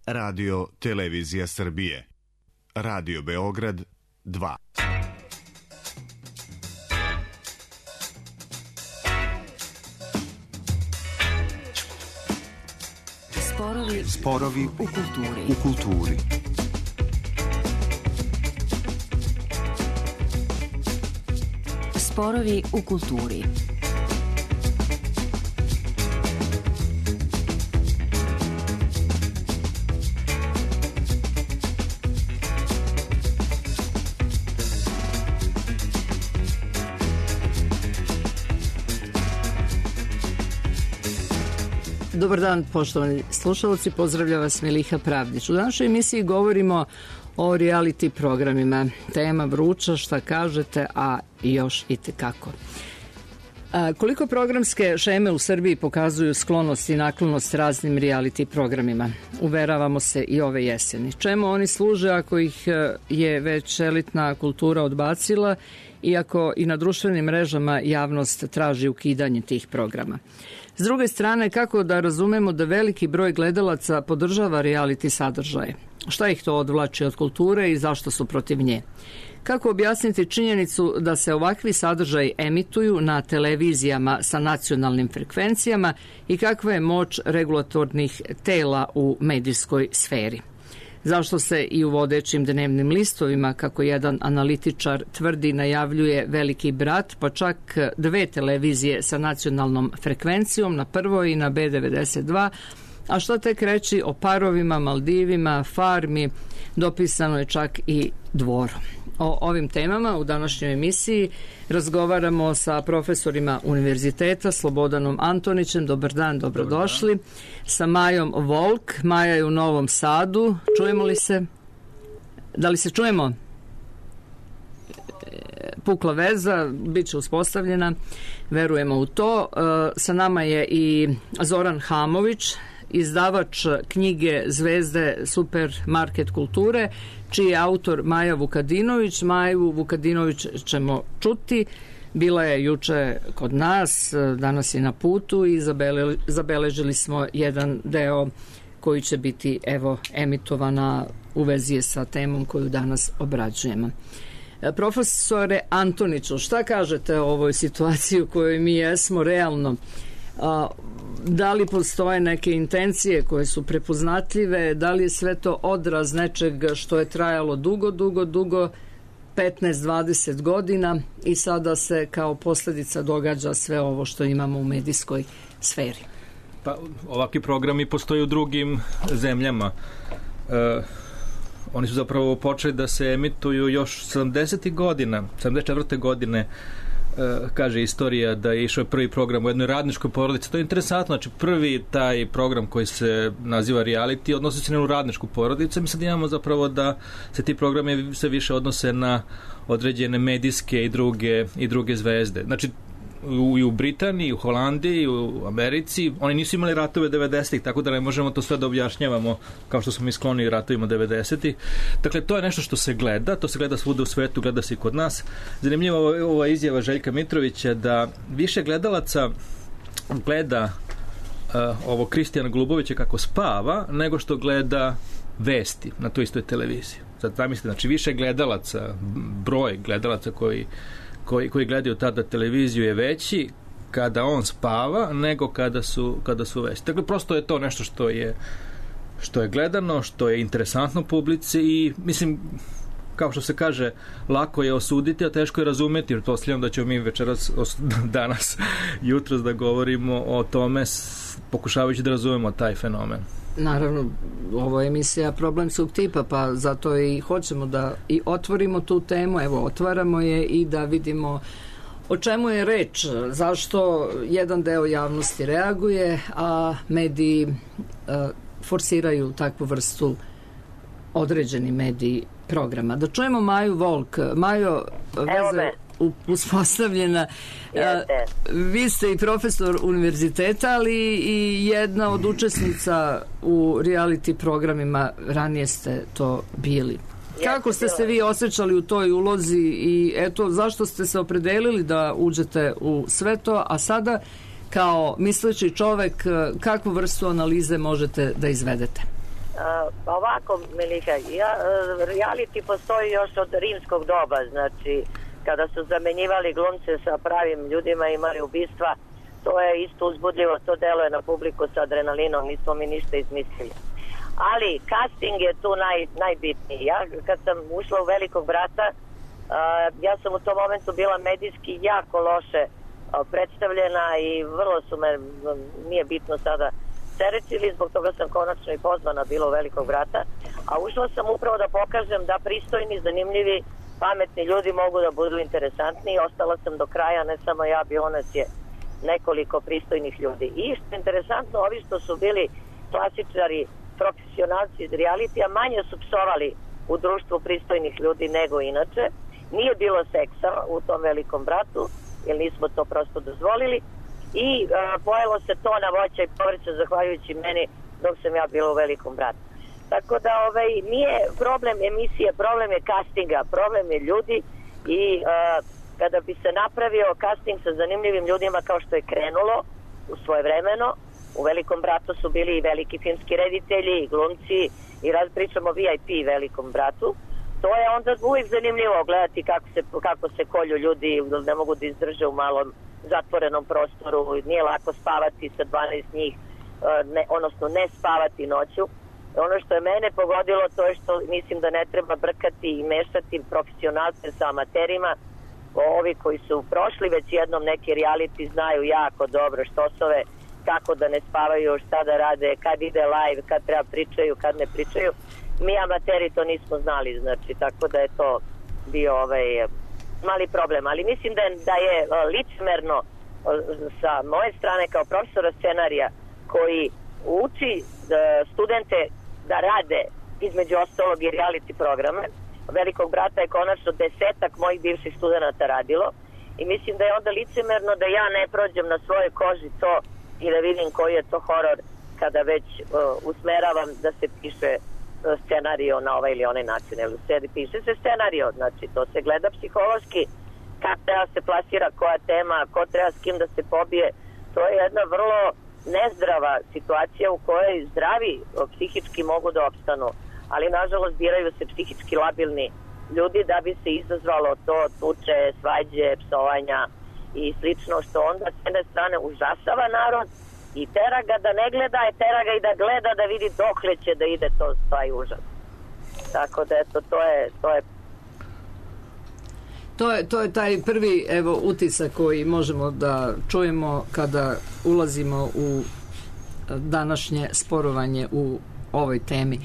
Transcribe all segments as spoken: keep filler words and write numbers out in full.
Radio Televizija Srbije. Radio Beograd dva. Sporovi, Sporovi u kulturi. U kulturi. Sporovi u kulturi. Dobar dan, poštovani slušalci, pozdravlja vas Miliha Pravdić. U današnjoj emisiji govorimo o reality programima. Tema vruća, šta kažete, a još i tekako. A, koliko programske šeme u Srbiji pokazuju sklonost i naklonost raznim reality programima? Uveravamo se i ove jeseni. Čemu oni služe ako ih je već elitna kultura odbacila, iako i na društvenim mrežama javnost traži ukidanje tih programa? S druge strane, kako da razumemo da veliki broj gledalaca podržava reality sadržaje? Šta ih to odvlači od kulture i zašto su protiv nje? Kako objasniti činjenicu da se ovakvi sadržaji emituju na televizijama sa nacionalnim frekvencijama i kakva je moć regulatornih tela u medijskoj sferi? Zašto se i u vodećim dnevnim listovima, kako jedan analitičar tvrdi, najavljuje Veliki brat, pa čak dve televizije sa nacionalnom frekvencijom, na Prvoj i na B devedeset dva, a što tek reći o Parovima, Maldivima, Farmi, dopisano je čak i Dvoru. O ovim temama u današnjoj emisiji razgovaramo sa profesorima univerziteta, Slobodanom Antonićem, dobar dan, dobrodošli, sa Majom Volk. Maja je u Novom Sadu. Čujemo li se? Da li se čujemo? Pukla veza, bit će uspostavljena, verujemo u to. Sa nama je i Zoran Hamović, izdavač knjige Zvezde Supermarket kulture, čiji je autor Maja Vukadinović. Maju Vukadinović ćemo čuti. Bila je juče kod nas, danas je na putu i zabele, zabeležili smo jedan deo koji će biti evo emitovana u vezi sa temom koju danas obrađujemo. Profesore Antoniću, šta kažete o ovoj situaciji u kojoj mi jesmo realno? A, da li postoje neke intencije koje su prepoznatljive, da li je sve to odraz nečega što je trajalo dugo, dugo, dugo, petnaest dvadeset godina i sada se kao posljedica događa sve ovo što imamo u medijskoj sferi? Pa, ovakvi programi postoje u drugim zemljama. E, oni su zapravo počeli da se emituju još sedamdesetih godina, sedamdeset četvrte godine. Uh, kaže istorija da je išao prvi program u jednoj radničkoj porodici. To je interesantno, znači prvi taj program koji se naziva reality odnosi se na jednu radničku porodicu. Mi sad imamo zapravo da se ti programi sve više odnose na određene medijske i druge, i druge zvezde. Znači u, i u Britaniji, u Holandiji, u Americi, oni nisu imali ratove devedesetih, tako da ne možemo to sve da objašnjavamo kao što smo mi skloni ratovima devedesetih. Dakle, to je nešto što se gleda, to se gleda svuda u svetu, gleda se i kod nas. Zanimljiva je ova izjava Željka Mitrovića da više gledalaca gleda uh, ovo Kristijana Golubovića kako spava, nego što gleda vesti na toj istoj televiziji. Sad zamislite, znači više gledalaca, broj gledalaca koji Koji, koji gledaju tada televiziju je veći kada on spava nego kada su, kada su vesti. Dakle, prosto je to nešto što je, što je gledano, što je interesantno publici i mislim, kao što se kaže, lako je osuditi, a teško je razumeti, jer posljedno da ćemo mi večeras, danas, jutros da govorimo o tome, pokušavajući da razumemo taj fenomen. Naravno, ovo je emisija Problemskog tipa, pa zato i hoćemo da i otvorimo tu temu, evo otvaramo je i da vidimo o čemu je reč, zašto jedan deo javnosti reaguje, a mediji uh, forsiraju takvu vrstu, određeni mediji, programa. Da čujemo Maju Volk. Majo, veza uspostavljena. Jeste. Vi ste i profesor univerziteta, ali i jedna od učesnica u reality programima, ranije ste to bili. Kako ste se vi osjećali u toj ulozi i eto, zašto ste se opredelili da uđete u sve to, a sada kao misleći čovek, kakvu vrstu analize možete da izvedete? Pa ovako, Miliha, ja, reality postoji još od rimskog doba, znači kada su zamenjivali glumce sa pravim ljudima, imali ubistva, to je isto uzbudljivo, to deluje na publiku sa adrenalinom, nismo mi ništa izmislili. Ali casting je tu naj, najbitniji. Ja kad sam ušla u Velikog brata, uh, ja sam u tom momentu bila medijski jako loše uh, predstavljena i vrlo su me, nije bitno sada, cerečili, zbog toga sam konačno i pozvana bila u Velikog brata, a ušla sam upravo da pokažem da pristojni, zanimljivi, pametni ljudi mogu da budu interesantni i ostala sam do kraja, ne samo ja, bilo nas je nekoliko pristojnih ljudi. I što je interesantno, ovi što su bili klasičari, profesionalci iz realitija, manje su psovali u društvu pristojnih ljudi nego inače. Nije bilo seksa u tom Velikom bratu, jer nismo to prosto dozvolili. I uh, pojelo se tona voća i povrća zahvaljujući meni dok sam ja bila u Velikom bratu. Tako da ovaj, nije problem emisije, problem je castinga, problem je ljudi i uh, kada bi se napravio casting sa zanimljivim ljudima kao što je krenulo u svoje vremeno, u Velikom bratu su bili i veliki filmski reditelji, i glumci, i raz pričamo V I P Velikom bratu, to je onda uvijek zanimljivo gledati kako se, kako se kolju ljudi, ne mogu da izdrže u malom zatvorenom prostoru, nije lako spavati sa dvanaest njih, ne, odnosno ne spavati noću. Ono što je mene pogodilo to je što mislim da ne treba brkati i mešati profesionalce sa amaterima. Ovi koji su prošli već jednom neki reality znaju jako dobro štosove, kako da ne spavaju, šta da rade, kad ide live, kad treba pričaju, kad ne pričaju. Mi amateri to nismo znali, znači, tako da je to bio ovaj mali problem. Ali mislim da je, da je licemerno sa moje strane kao profesora scenarija koji uči studente da rade između ostalog i reality programe. Velikog brata je konačno desetak mojih bivših studenta radilo i mislim da je onda licemerno da ja ne prođem na svojoj koži to i da vidim koji je to horor kada već uh, usmeravam da se piše uh, scenario na ovaj ili onaj način. Ili se piše se scenario, znači to se gleda psihološki, kako treba se plasira koja tema, ko treba s kim da se pobije. To je jedna vrlo nezdrava situacija u kojoj zdravi uh, psihički mogu da opstanu, ali nažalost biraju se psihički labilni ljudi da bi se izazvalo to tuče, svađe, psovanja i slično, što onda s jedne strane užasava narod i tera ga da ne gleda, i tera ga i da gleda da vidi dokle će da ide to taj užas. Tako da eto, to je to je To je, to je taj prvi evo utisak koji možemo da čujemo kada ulazimo u današnje sporovanje u ovoj temi.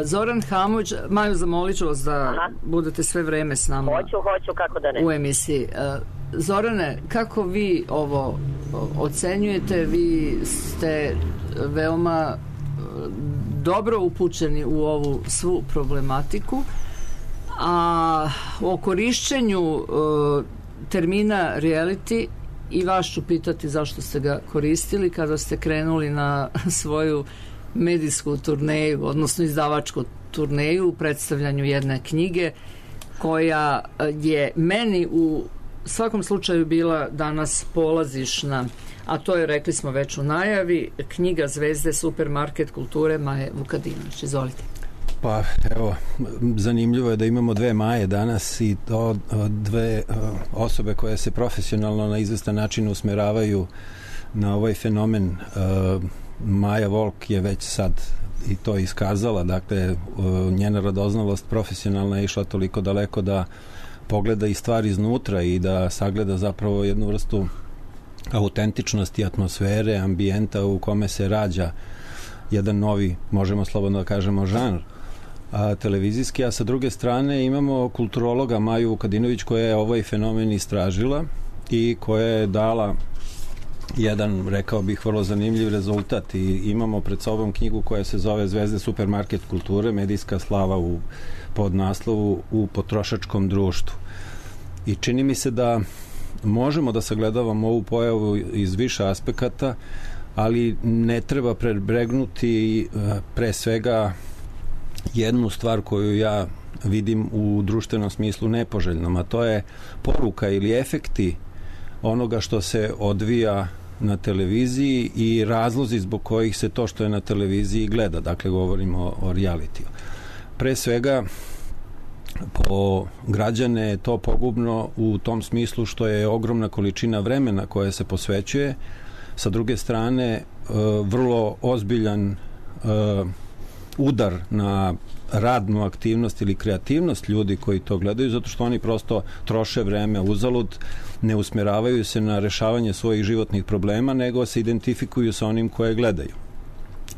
Zoran Hamović, Maju, zamolit ću vas da Aha. budete sve vreme s nama. Hoću, hoću, kako da ne. U emisiji. Zorane, kako vi ovo ocenjujete? Vi ste veoma dobro upućeni u ovu svu problematiku, a o korišćenju termina reality i vas ću pitati zašto ste ga koristili kada ste krenuli na svoju medijsku turneju, odnosno izdavačku turneju u predstavljanju jedne knjige koja je meni u svakom slučaju bila danas polazišna, a to je, rekli smo već u najavi, knjiga zvezde supermarket kulture Maje Vukadinović. Izvolite. Pa evo, zanimljivo je da imamo dve Maje danas i to dve osobe koje se profesionalno na izvestan način usmeravaju na ovaj fenomen. Maja Volk je već sad i to iskazala, dakle njena radoznalost profesionalna je išla toliko daleko da pogleda i stvari iznutra i da sagleda zapravo jednu vrstu autentičnosti atmosfere, ambijenta u kome se rađa jedan novi, možemo slobodno da kažemo, žanr a, televizijski, a sa druge strane imamo kulturologa Maju Vukadinović koja je ovaj fenomen istražila i koja je dala jedan, rekao bih, vrlo zanimljiv rezultat i imamo pred sobom knjigu koja se zove Zvezde supermarket kulture, medijska slava u podnaslovu u potrošačkom društvu. I čini mi se da možemo da sagledavamo ovu pojavu iz više aspekata, ali ne treba prebregnuti pre svega jednu stvar koju ja vidim u društvenom smislu nepoželjnom, a to je poruka ili efekti onoga što se odvija na televiziji i razlozi zbog kojih se to što je na televiziji gleda. Dakle, govorimo o realitiju. Pre svega, po građane je to pogubno u tom smislu što je ogromna količina vremena koja se posvećuje. Sa druge strane, vrlo ozbiljan udar na radnu aktivnost ili kreativnost ljudi koji to gledaju, zato što oni prosto troše vreme uzalud, ne usmeravaju se na rešavanje svojih životnih problema, nego se identifikuju sa onim koje gledaju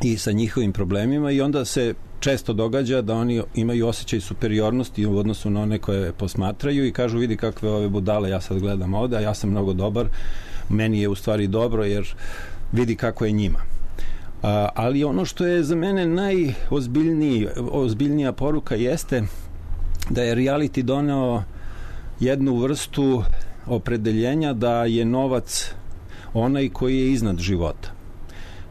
i sa njihovim problemima, i onda se često događa da oni imaju osjećaj superiornosti u odnosu na one koje posmatraju i kažu, vidi kakve ove budale ja sad gledam ovde, a ja sam mnogo dobar, meni je u stvari dobro jer vidi kako je njima. A, ali ono što je za mene najozbiljnija poruka jeste da je reality doneo jednu vrstu opredeljenja da je novac onaj koji je iznad života.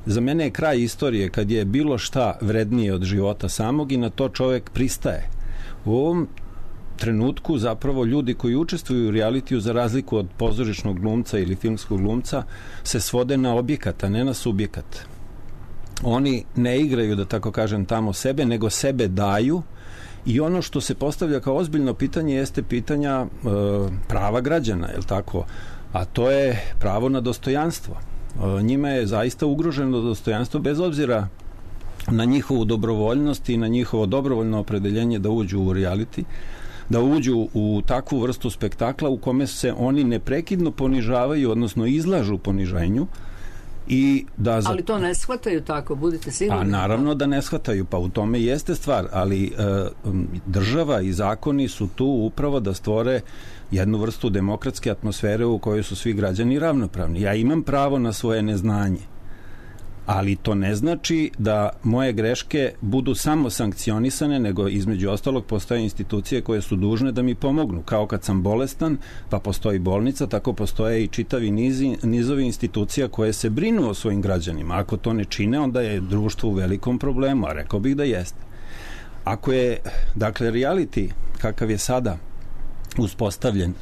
Za mene je kraj istorije kad je bilo šta vrednije od života samog i na to čovek pristaje. U ovom trenutku zapravo ljudi koji učestvuju u realitiju, za razliku od pozorišnog glumca ili filmskog glumca, se svode na objekat, a ne na subjekat. Oni ne igraju, da tako kažem, tamo sebe, nego sebe daju, i ono što se postavlja kao ozbiljno pitanje jeste pitanja e, prava građana, je li tako? A to je pravo na dostojanstvo. E, njima je zaista ugroženo dostojanstvo bez obzira na njihovu dobrovoljnost i na njihovo dobrovoljno opredeljenje da uđu u reality, da uđu u takvu vrstu spektakla u kome se oni neprekidno ponižavaju, odnosno izlažu poniženju. I da za... Ali to ne shvataju tako, budite sigurni. A naravno da ne shvataju, pa u tome jeste stvar, ali e, država i zakoni su tu upravo da stvore jednu vrstu demokratske atmosfere u kojoj su svi građani ravnopravni. Ja imam pravo na svoje neznanje, ali to ne znači da moje greške budu samo sankcionisane, nego između ostalog postoje institucije koje su dužne da mi pomognu. Kao kad sam bolestan, pa postoji bolnica, tako postoje i čitavi nizi, nizovi institucija koje se brinu o svojim građanima. Ako to ne čine, onda je društvo u velikom problemu, a rekao bih da jeste. Ako je, dakle, reality, kakav je sada uspostavljen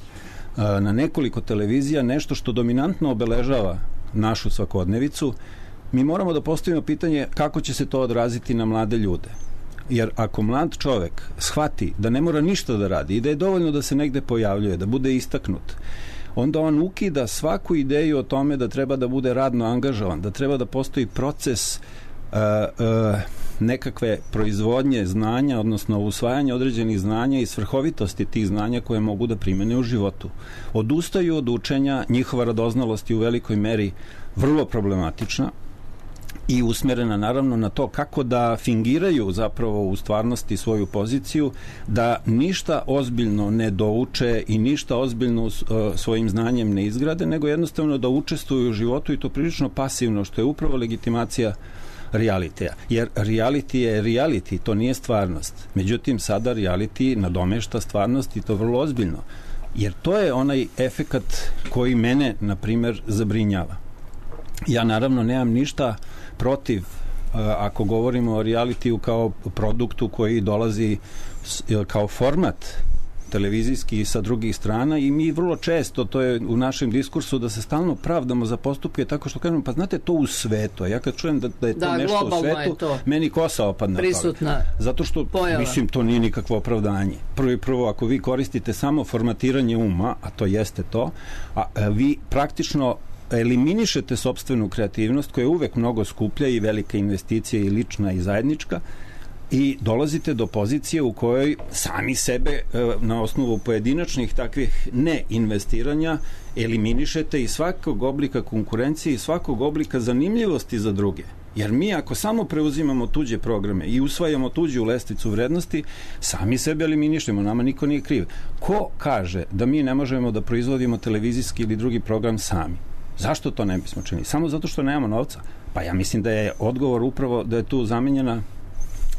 na nekoliko televizija, nešto što dominantno obeležava našu svakodnevicu, mi moramo da postavimo pitanje kako će se to odraziti na mlade ljude. Jer ako mlad čovek shvati da ne mora ništa da radi i da je dovoljno da se negde pojavljuje, da bude istaknut, onda on ukida svaku ideju o tome da treba da bude radno angažovan, da treba da postoji proces uh, uh, nekakve proizvodnje znanja, odnosno usvajanja određenih znanja i svrhovitosti tih znanja koje mogu da primene u životu. Odustaju od učenja, njihova radoznalost je u velikoj meri vrlo problematična i usmerena naravno na to kako da fingiraju zapravo u stvarnosti svoju poziciju, da ništa ozbiljno ne douče i ništa ozbiljno svojim znanjem ne izgrade, nego jednostavno da učestvuju u životu, i to prilično pasivno, što je upravo legitimacija realitija. Jer reality je reality, to nije stvarnost. Međutim, sada reality nadomešta stvarnost, i to vrlo ozbiljno. Jer to je onaj efekat koji mene, na primer, zabrinjava. Ja naravno nemam ništa protiv, ako govorimo o realitiju kao produktu koji dolazi kao format televizijski sa drugih strana, i mi vrlo često, to je u našem diskursu, da se stalno pravdamo za postupke tako što kažemo, pa znate, to u svetu. Ja kad čujem da, da je to da, nešto u svetu, meni kosa opadne. Prisutna zato što, pojava. Mislim, to nije nikakvo opravdanje. Prvo i prvo, ako vi koristite samo formatiranje uma, a to jeste to, a, a vi praktično eliminišete sopstvenu kreativnost, koja je uvek mnogo skuplja i velika investicija i lična i zajednička, i dolazite do pozicije u kojoj sami sebe na osnovu pojedinačnih takvih neinvestiranja eliminišete iz svakog oblika konkurencije i svakog oblika zanimljivosti za druge. Jer mi ako samo preuzimamo tuđe programe i usvajamo tuđu lestvicu vrednosti, sami sebe eliminišemo, nama niko nije kriv. Ko kaže da mi ne možemo da proizvodimo televizijski ili drugi program sami? Zašto to ne bismo činili? Samo zato što nemamo novca? Pa ja mislim da je odgovor upravo da je tu zamenjena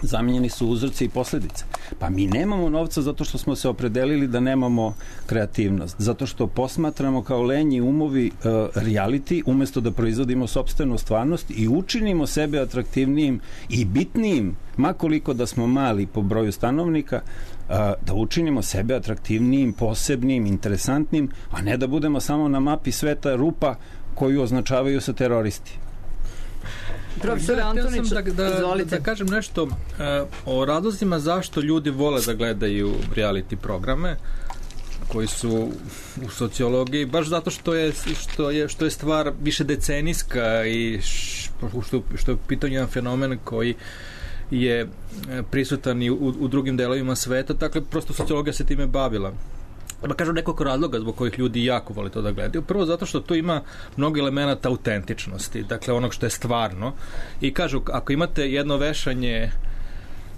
zamenjeni su uzroci i posledice. Pa mi nemamo novca zato što smo se opredelili da nemamo kreativnost, zato što posmatramo kao lenji umovi uh, reality umesto da proizvodimo sopstvenu stvarnost i učinimo sebe atraktivnijim i bitnijim, makoliko da smo mali po broju stanovnika, uh, da učinimo sebe atraktivnijim, posebnim, interesantnim, a ne da budemo samo na mapi sveta rupa koju označavaju sa teroristi. Profesor ja, Antonić, da, da, izvolite. Da kažem nešto uh, o razlozima zašto ljudi vole da gledaju reality programe koji su u sociologiji, baš zato što je, što je, što je stvar više decenijska i što, što je pitanje jedan fenomen koji je prisutan i u, u drugim delovima sveta, dakle prosto sociologija se time bavila. Da kažem nekoliko razloga zbog kojih ljudi jako vole to da gledaju. Prvo zato što tu ima mnogo elemenata autentičnosti, dakle onog što je stvarno. I kažu, ako imate jedno vešanje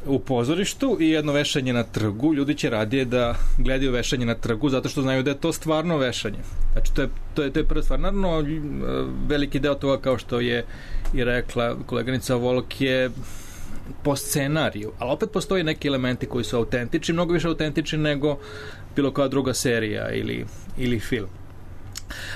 u pozorištu i jedno vešanje na trgu, ljudi će radije da gledaju vešanje na trgu zato što znaju da je to stvarno vešanje. Znači, to je, to je, to je prva stvar. Naravno, veliki deo toga, kao što je i rekla koleganica Volk, je po scenariju, ali opet postoje neki elementi koji su autentični, mnogo više autentični nego bilo koja druga serija ili, ili film.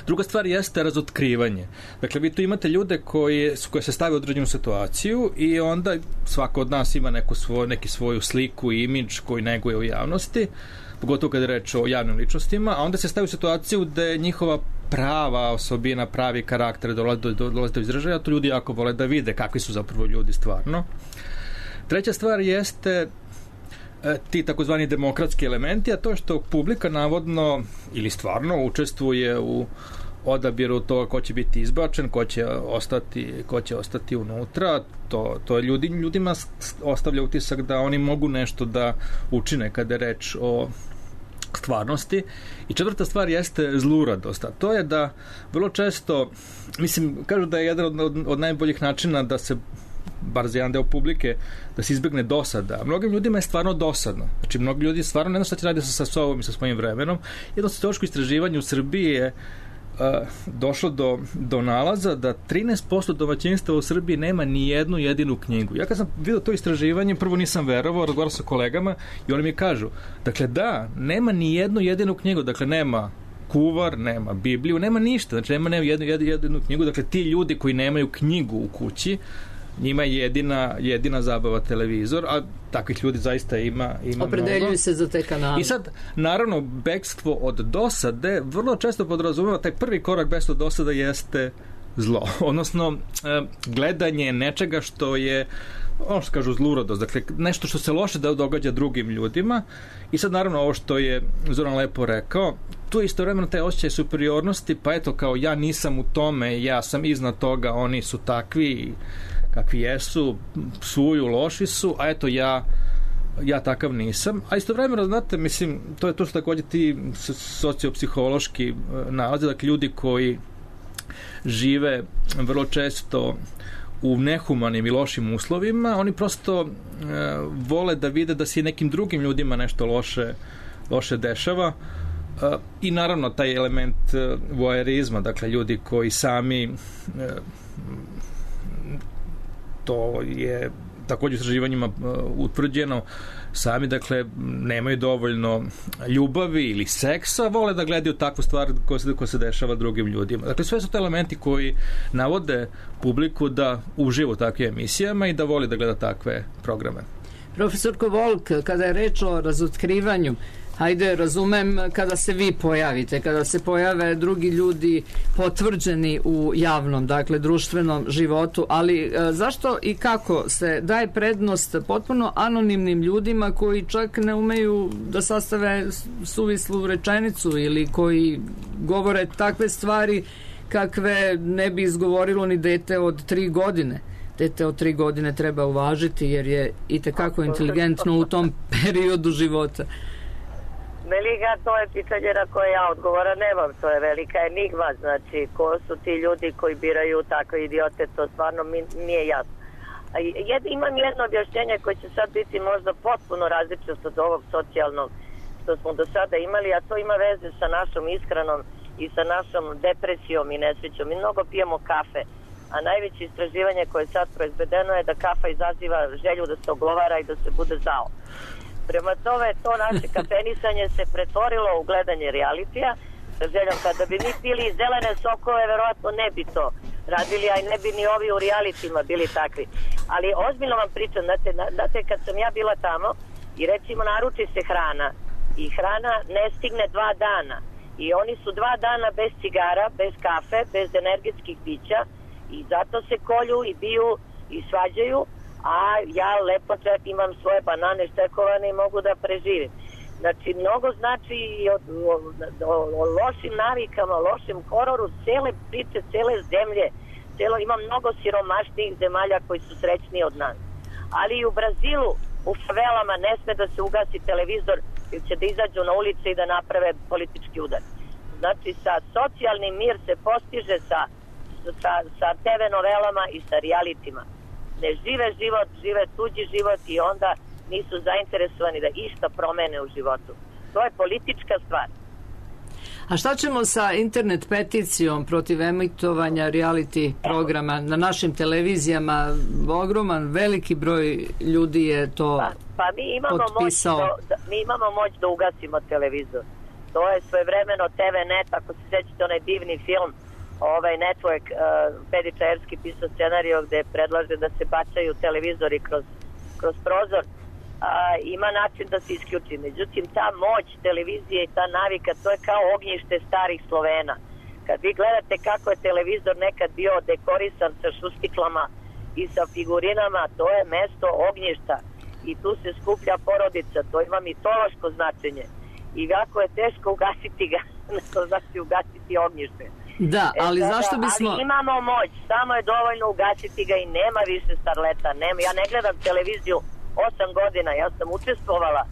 Druga stvar jeste razotkrivanje. Dakle, vi tu imate ljude koji, koji se stave u određenu situaciju i onda svako od nas ima neku svoj, neki svoju sliku i imidž koji neguje u javnosti, pogotovo kada je reč o javnim ličnostima, a onda se stavi u situaciju gde njihova prava osobina, pravi karakter dolaze do, do, do izražaja, to ljudi jako vole da vide kakvi su zapravo ljudi stvarno. Treća stvar jeste ti takozvani demokratski elementi, a to je što publika navodno ili stvarno učestvuje u odabiru toga ko će biti izbačen, ko će ostati, ko će ostati unutra. To, to ljudi, ljudima ostavlja utisak da oni mogu nešto da učine kada je reč o stvarnosti. I četvrta stvar jeste zluradost. A to je da vrlo često, mislim, kažu da je jedan od, od, od najboljih načina da se bar za jedan deo publike, da se izbegne dosada. Mnogim ljudima je stvarno dosadno. Znači, mnogi ljudi stvarno ne znam šta će raditi sa, sa sobom i sa svojim vremenom. Jedno sociološko istraživanje u Srbiji je uh, došlo do, do nalaza da trinaest posto domaćinstva u Srbiji nema ni jednu jedinu knjigu. Ja kad sam vidio to istraživanje, prvo nisam verovao, razgovarao sa kolegama i oni mi kažu, dakle da, nema ni jednu jedinu knjigu, dakle nema kuvar, nema Bibliju, nema ništa, znači nema, nema jednu, jednu, jedinu knjigu, dakle ti ljudi koji nemaju knjigu u kući, njima je jedina, jedina zabava televizor, a takvih ljudi zaista ima, ima opredeljuju mnogo. Se za te kanale. I sad, naravno, bekstvo od dosade vrlo često podrazumeva, taj prvi korak bekstvo od dosade jeste zlo. Odnosno, gledanje nečega što je, ono što kažu, zluradost, dakle, nešto što se loše da događa drugim ljudima. I sad, naravno, ovo što je Zoran lepo rekao, tu je istovremeno taj osjećaj superiornosti, pa eto, kao ja nisam u tome, ja sam iznad toga, oni su takvi kakvi jesu, psuju, loši su, a eto ja ja takav nisam. A istovremeno, znate, mislim, to je to što takođe ti sociopsihološki nalaze, dakle, ljudi koji žive vrlo često u nehumanim i lošim uslovima, oni prosto e, vole da vide da se nekim drugim ljudima nešto loše, loše dešava. E, I naravno taj element e, voajerizma, dakle, ljudi koji sami e, to je takođe istraživanjima uh, utvrđeno, sami, dakle, nemaju dovoljno ljubavi ili seksa, vole da gledaju takvu stvar koja se, koja se dešava drugim ljudima. Dakle, sve su to elementi koji navode publiku da uživa u takvim emisijama i da voli da gleda takve programe. Profesorko Volk, kada je reč o razotkrivanju, hajde, razumem kada se vi pojavite, kada se pojave drugi ljudi potvrđeni u javnom, dakle, društvenom životu, ali e, zašto i kako se daje prednost potpuno anonimnim ljudima koji čak ne umeju da sastave suvislu rečenicu ili koji govore takve stvari kakve ne bi izgovorilo ni dete od tri godine? Dete od tri godine treba uvažiti jer je itekako inteligentno u tom periodu života. Melika, to je pitanje na koje ja odgovora nemam, to je velika enigma, znači ko su ti ljudi koji biraju takve idiote, to stvarno mi nije jasno. Jed, imam jedno objašnjenje koje će sad biti možda potpuno različito od ovog socijalnog što smo do sada imali, a to ima veze sa našom ishranom i sa našom depresijom i nesrećom. Mi mnogo pijemo kafe, a najveće istraživanje koje je sad proizvedeno je da kafa izaziva želju da se oglovara i da se bude zao. Prema tome, to naše kafenisanje se pretvorilo u gledanje realitija sa željom kada bi mi pili zelene sokove, verovatno ne bi to radili, a i ne bi ni ovi u realitima bili takvi. Ali ozbiljno vam pričam, znate, znate kad sam ja bila tamo i recimo naruči se hrana i hrana ne stigne dva dana I oni su dva dana bez cigara, bez kafe, bez energetskih pića i zato se kolju i biju i svađaju, a ja lepo čak imam svoje banane štekovane i mogu da preživim. Znači, mnogo znači i o, o, o, o lošim navikama, lošim hororu, cele priče, cele zemlje, celo, ima mnogo siromašnijih zemalja koji su srećniji od nas. Ali i u Brazilu, u favelama ne sme da se ugasi televizor ili će da izađu na ulice i da naprave politički udar. Znači, sa socijalnim mir se postiže sa, sa, sa te ve novelama i sa realitima. Ne žive život, žive tuđi život i onda nisu zainteresovani da išta promene u životu. To je politička stvar. A šta ćemo sa internet peticijom protiv emitovanja reality programa na našim televizijama? Ogroman, veliki broj ljudi je to pa, pa mi imamo potpisao. Moć da, mi imamo moć da ugasimo televizor. To je svojevremeno te ve net, ako se sećate onaj divni film, ovaj Network, uh, Pedi Čajerski pisao scenario gde predlaže da se bacaju televizori kroz, kroz prozor. Uh, ima način da se isključi. Međutim, ta moć televizije i ta navika, to je kao ognjište starih Slovena. Kad vi gledate kako je televizor nekad bio dekorisan sa šustiklama i sa figurinama, to je mesto ognjišta i tu se skuplja porodica, to ima mitološko značenje. I kako je teško ugasiti ga, to znači ugasiti ognjište. Da, ali e, sada, zašto bismo... Ali imamo moć, samo je dovoljno ugasiti ga i nema više starleta. Nema. Ja ne gledam televiziju osam godina, ja sam učestvovala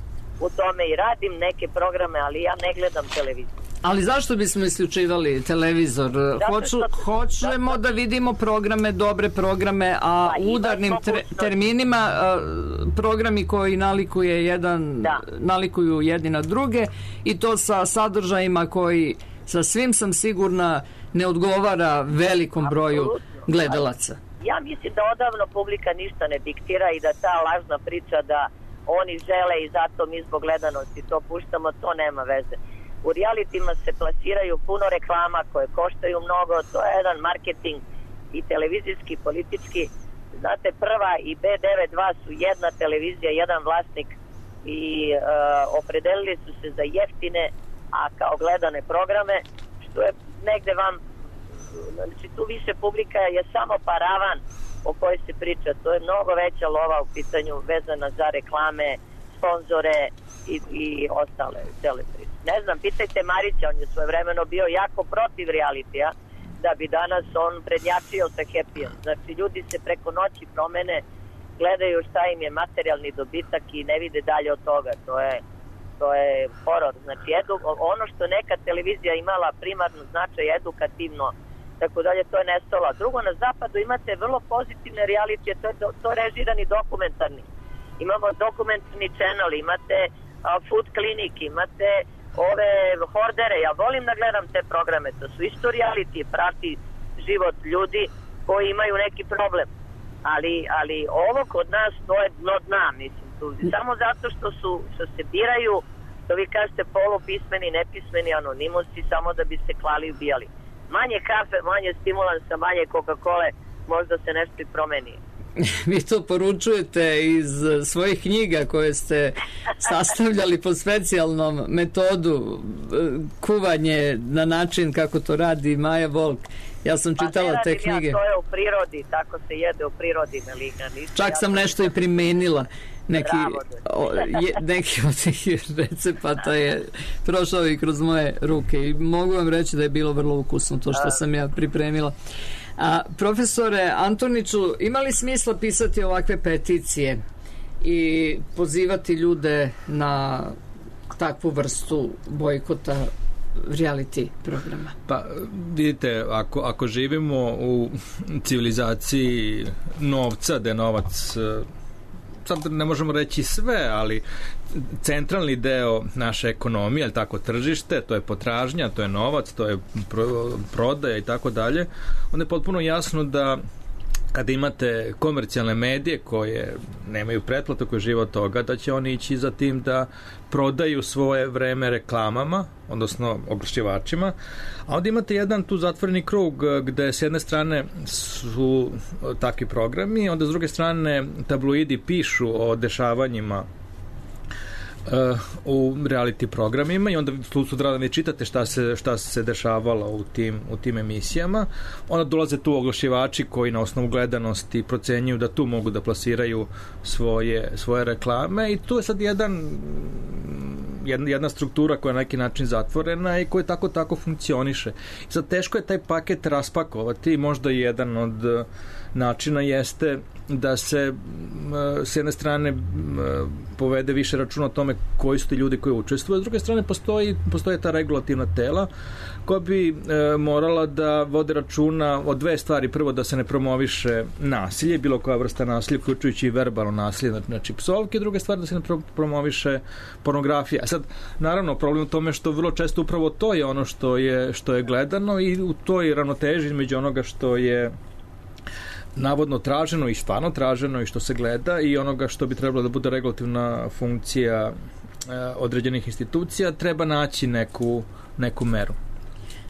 u tome i radim neke programe, ali ja ne gledam televiziju. Ali zašto bismo isključivali televizor? Hoću, hoćemo da vidimo programe, dobre programe, a pa, u udarnim tre, terminima programi koji nalikuje jedan, da. nalikuju jedni na druge i to sa sadržajima koji sa svim sam sigurna ne odgovara velikom broju Absolutno. gledalaca. Ja mislim da odavno publika ništa ne diktira i da ta lažna priča da oni žele i zato mi zbog gledanosti to puštamo, to nema veze. U realitima se plasiraju puno reklama koje koštaju mnogo, to je jedan marketing i televizijski, politički. Znate, Prva i be devedeset dva su jedna televizija, jedan vlasnik i uh, opredelili su se za jeftine, a kao gledane programe, što je negde vam, znači tu više publika je samo paravan o kojoj se priča, to je mnogo veća lova u pitanju vezana za reklame, sponzore i, i ostale cele priče. Ne znam, pitajte Marića, on je svojevremeno bio jako protiv realitija, da bi danas on prednjačio sa Happyjem. Znači, ljudi se preko noći promene, gledaju šta im je materijalni dobitak i ne vide dalje od toga. To je, to je horor. Znači, edu, ono što neka televizija imala primarno značaj edukativno, tako dalje, to je nestalo. Drugo, na zapadu imate vrlo pozitivne realitije, to je, to je režirani dokumentarni. Imamo dokumentarni channel, imate uh, food clinic, imate ove hordere, ja volim da gledam te programe, to su isto reality, prati život ljudi koji imaju neki problem. Ali, ali ovo kod nas, to je dno dna, mislim, tu. Samo zato što su, što se biraju, što vi kažete, polupismeni, nepismeni anonimusi, samo da bi se klali i ubijali. Manje kafe, manje stimulansa, manje Coca-Cola, možda se nešto i promeni. Vi to poručujete iz svojih knjiga koje ste sastavljali po specijalnom metodu kuvanje na način kako to radi Maja Volk. Ja sam čitala pa te knjige. Ja, to je u prirodi, tako se jede u prirodi, Melina. Čak sam nešto i primenila. Neki, o, je, neki od tih recepata je prošao i kroz moje ruke i mogu vam reći da je bilo vrlo ukusno to što sam ja pripremila. A, profesore Antoniću, ima li smisla pisati ovakve peticije i pozivati ljude na takvu vrstu bojkota reality programa? Pa vidite, ako, ako živimo u civilizaciji novca, da je novac, sad ne možemo reći sve, ali centralni deo naše ekonomije, ali tako tržište, to je potražnja, to je novac, to je pro, prodaja i tako dalje, onda je potpuno jasno da kada imate komercijalne medije koje nemaju pretplatu, koje žive od toga, da će oni ići za tim da prodaju svoje vreme reklamama, odnosno oglašivačima, a onda imate jedan tu zatvoreni krug gde s jedne strane su takvi programi, onda s druge strane tabloidi pišu o dešavanjima uh, u reality programima i onda sutra da vi čitate šta se, šta se dešavalo u tim, u tim emisijama. Onda dolaze tu oglašivači koji na osnovu gledanosti procenjuju da tu mogu da plasiraju svoje, svoje reklame i tu je sad jedan jedna, jedna struktura koja je na neki način zatvorena i koja tako tako funkcioniše. I sad teško je taj paket raspakovati, možda jedan od načina jeste da se s jedne strane povede više računa o tome koji su ti ljudi koji učestvuju, s druge strane postoji, postoje ta regulativna tela koja bi e, morala da vode računa o dve stvari. Prvo, da se ne promoviše nasilje, bilo koja vrsta nasilja, uključujući i verbalno nasilje, znači psovke. Druga stvar, da se ne pro- promoviše pornografija. Sad, naravno, problem u tome što vrlo često upravo to je ono što je, što je gledano i u toj ravnoteži između onoga što je navodno traženo i stvarno traženo i što se gleda i onoga što bi trebalo da bude regulativna funkcija e, određenih institucija, treba naći neku, neku meru.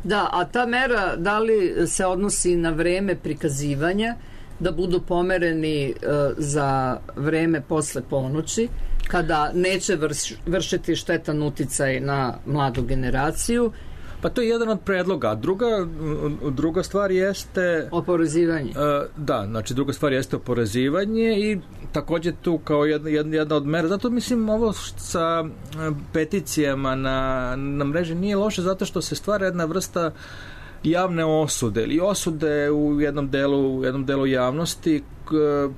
Da, a ta mera da li se odnosi na vreme prikazivanja, da budu pomereni e, za vreme posle ponoći, kada neće vrš, vršiti štetan uticaj na mladu generaciju? Pa to je jedan od predloga. Druga, druga stvar jeste oporezivanje. Uh, da, znači druga stvar jeste oporezivanje i takođe tu kao jedna, jedna, jedna od mera. Zato mislim ovo sa peticijama na, na mreži nije loše zato što se stvara jedna vrsta javne osude ili osude u jednom delu, u jednom delu javnosti,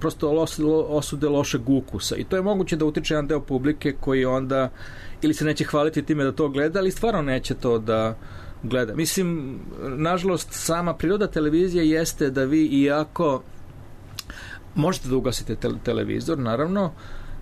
prosto osude lošeg ukusa i to je moguće da utiče jedan deo publike koji onda ili se neće hvaliti time da to gleda, ali stvarno neće to da gleda. Mislim, nažalost, sama priroda televizije jeste da vi iako možete da ugasite te- televizor, naravno,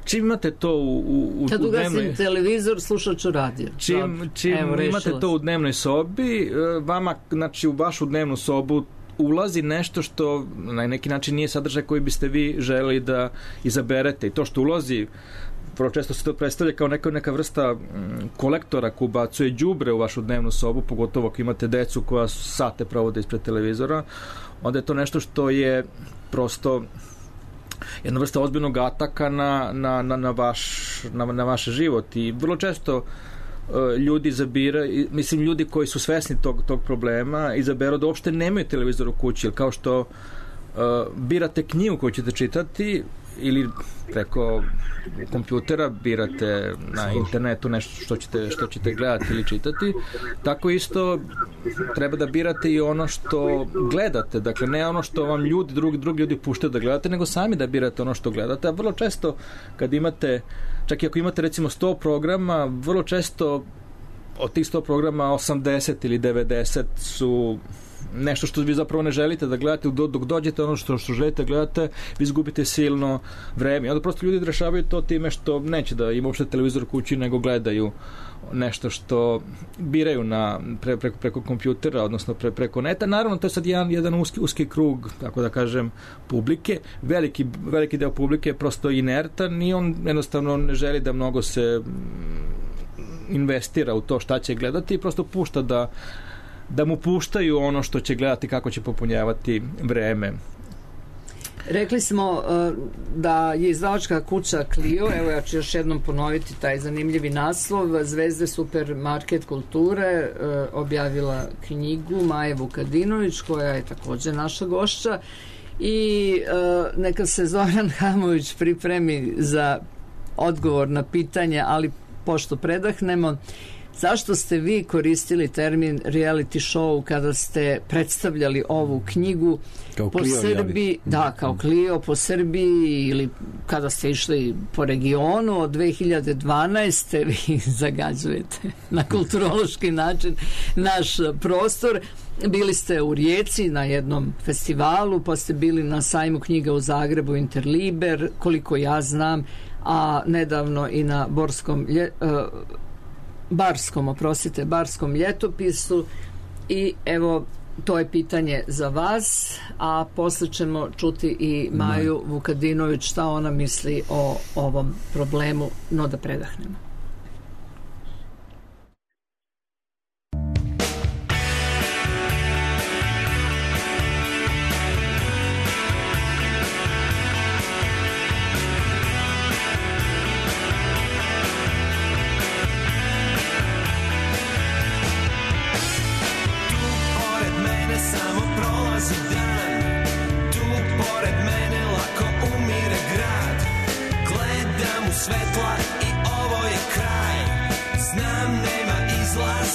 čim imate to u, u, u Kad ugasim dnevnoj... televizor, slušat ću radio. Čim, čim Evo, imate to u dnevnoj sobi, vama, znači, u vašu dnevnu sobu ulazi nešto što na neki način nije sadržaj koji biste vi želeli da izaberete i to što ulazi vrlo često se to predstavlja kao neka, neka vrsta kolektora ko ubacuje đubre u vašu dnevnu sobu, pogotovo ako imate decu koja sate provode ispred televizora, onda je to nešto što je prosto jedna vrsta ozbiljnog ataka na, na, na, na, vaš, na, na vaš život i vrlo često uh, ljudi zabira, mislim ljudi koji su svesni tog, tog problema izaberu da uopšte nemaju televizor u kući, jer kao što uh, birate knjigu koju ćete čitati ili preko kompjutera birate na internetu nešto što ćete, što ćete gledati ili čitati, tako isto treba da birate i ono što gledate, dakle ne ono što vam ljudi, drugi, drugi ljudi puštaju da gledate, nego sami da birate ono što gledate, a vrlo često kad imate, čak i ako imate recimo sto programa, vrlo često od tih sto programa osamdeset ili devedeset su nešto što vi zapravo ne želite da gledate, dok dođete ono što, što želite da gledate, vi izgubite silno vreme. Onda prosto ljudi rešavaju to time što neće da ima uopšte televizor u kući, nego gledaju nešto što biraju na, pre, preko, preko kompjutera, odnosno pre, preko neta. Naravno, to je sad jedan, jedan uski, uski krug, tako da kažem, publike. Veliki, veliki deo publike je prosto inertan i on jednostavno ne želi da mnogo se investira u to šta će gledati i prosto pušta da da mu puštaju ono što će gledati, kako će popunjavati vreme. Rekli smo uh, da je izdavačka kuća Clio, evo ja ću još jednom ponoviti taj zanimljivi naslov, Zvezde supermarket kulture, uh, objavila knjigu Maje Vukadinović, koja je takođe naša gošća i uh, neka se Zoran Hamović pripremi za odgovor na pitanje, ali pošto predahnemo, zašto ste vi koristili termin reality show kada ste predstavljali ovu knjigu kao po Clio, Srbiji, da, kao Clio po Srbiji ili kada ste išli po regionu od dve hiljade dvanaeste vi zagađujete na kulturološki način naš prostor. Bili ste u Rijeci na jednom festivalu, pa ste bili na sajmu knjiga u Zagrebu Interliber, koliko ja znam, a nedavno i na Borskom lje, uh, Barskom, oprostite, Barskom ljetopisu i evo to je pitanje za vas, a posle ćemo čuti i Maju Vukadinović šta ona misli o ovom problemu, no da predahnemo.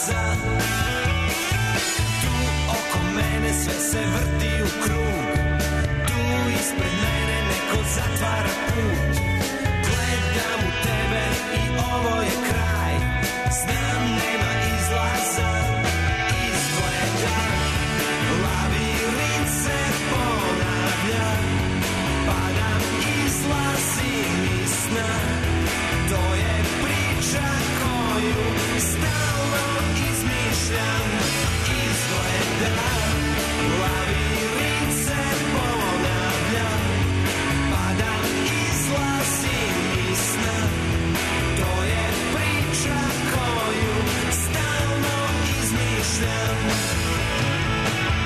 izlaza. Tu oko mene sve se vrti u krug, tu ispred mene neko zatvara put. Gledam u tebe i ovo je kraj, znam nema izlaza. Izgleda labirint se ponavlja, padam, izlazim iz sna. To je priča koju stalno izmišljam. Izgleda labirint se ponavlja, padam, izlazim iz sna. To je priča koju stalno izmišljam.